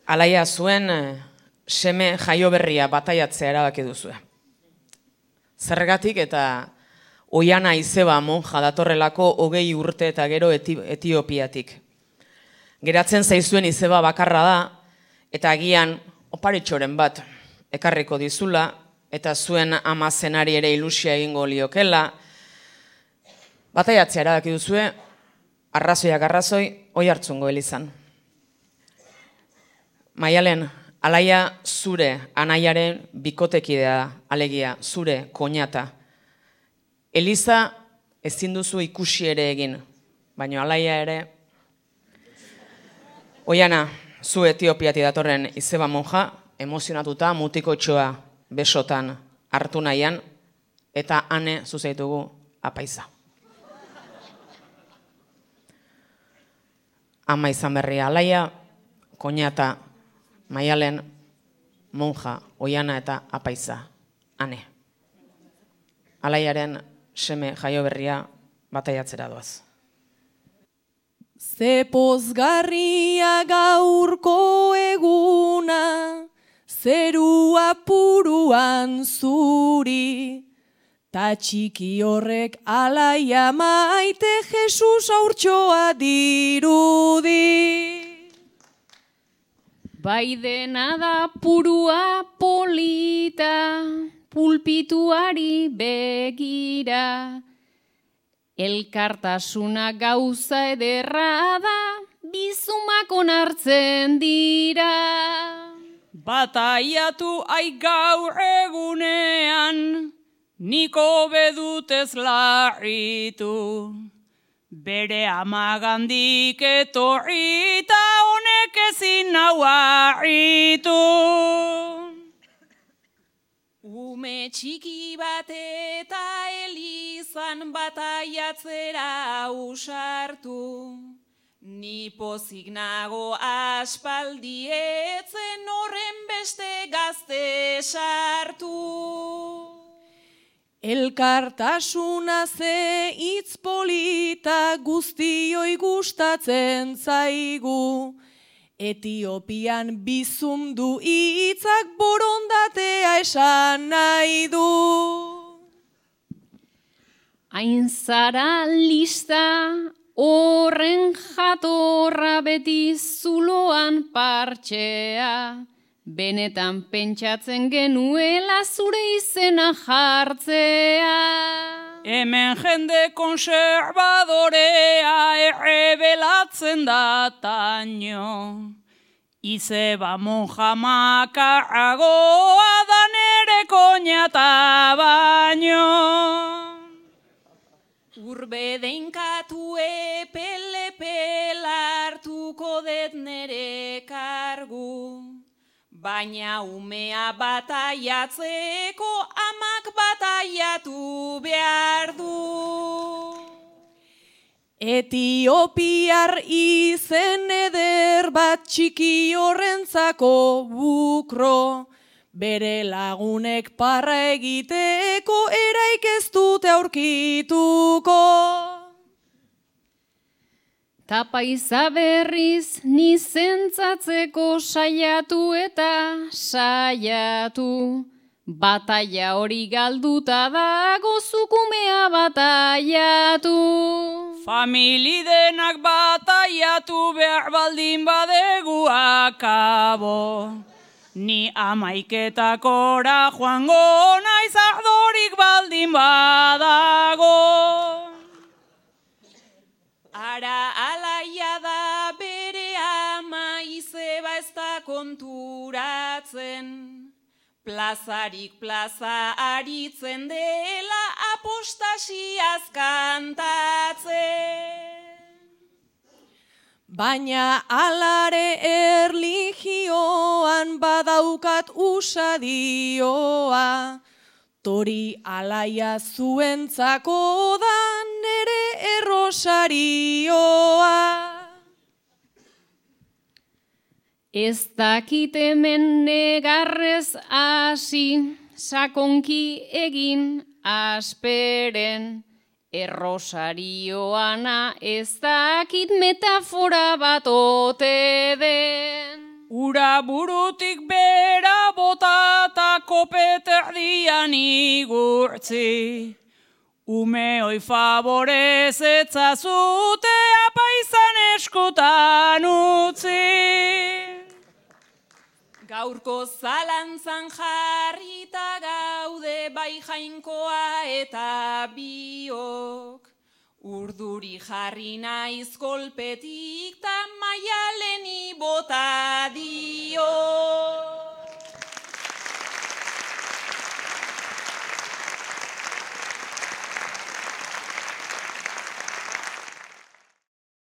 Alaia zuen seme jaioberria bataiatzea erabaki duzue. Zergatik eta Oiana Izeba monja datorrelako 20 urte eta gero Etiopiatik. Geratzen zaizuen Izeba bakarra da eta agian oparitxoren bat ekarriko dizula eta zuen ama zenari ere ilusia egingo liokela. Bataiatzea erabaki duzue, arrazoiak arrazoi, Oiartzungo elizan. Maialen, Alaia zure anaiaren bikotekidea da, alegia, zure koñata. Eliza ezin duzu ikusi ere egin, baina Alaia ere. Oiana, zu Etiopiatik datorren Izeba monja, emozionatuta mutikotxoa besotan hartu nahian, eta ane zuzaitugu apaiza. Ama izan berria Alaia, koñata, Maialen, monja, Oiana eta apaiza, ane. Alaiaren seme jaioberria bataiatzera doaz. Ze pozgarria gaurko eguna, zerua puruan zuri, ta txiki horrek Alaia maite Jesus haurtxoa dirudi. Bai dena da purua polita, pulpituari begira. Elkartasuna gauza ederra da, bizumak onartzen dira. Bataiatu gaur egunean, niko bedutez larritu. Bere amagandik etorri eta honek ezin nau harritu. Ume txiki bat eta elizan bataiatzera usartu. Ni pozik nago aspaldi etzen horren beste gazte sartu. Elkartasuna ze hitz polita guztioi gustatzen zaigu. Etiopian bizumdu hitzak borondatea esan nahi du. Hain zara lista, horren jatorra beti zuloan partxea. Benetan pentsatzen genuela zure izena jartzea. Hemen jende konservadorea errebelatzen da taino. Izeba monja makarragoa da nere koñata baino. Urbe deinkatu epel hartuko det nere kargu. Baina umea bataiatzeko amak bataiatu behar du. Etiopiar izen eder bat txiki horrentzako bukro. Bere lagunek parra egiteko eraik ez dute aurkituko. Ta paiza berriz nizentzatzeko saiatu eta saiatu. Bataia hori galduta dago zukumea bataiatu. Famili denak bataiatu behar baldin badegu akabo. Ni amaiketakora joango naiz ardorik baldin badago. Ara Alaia da bere ama Izeba ez da konturatzen. Plazarik plaza aritzen dela apostasiaz kantatzen. Baina alare erlijioan badaukat usadioa. Tori Alaia zuentzako da nere errosarioa. Ez dakit hemen negarrez hasi, sakonki egin asperen. Errosarioana ez dakit metafora bat ote den. ura burutik bera botata kopeterdian igurtzi. Umeoi favorez etzazute apaizan eskutan utzi. Gaurko zalantzan jarrita gaude bai Jainkoa eta biok. Urduri jarri naiz kolpetik ta Maialeni bota dio.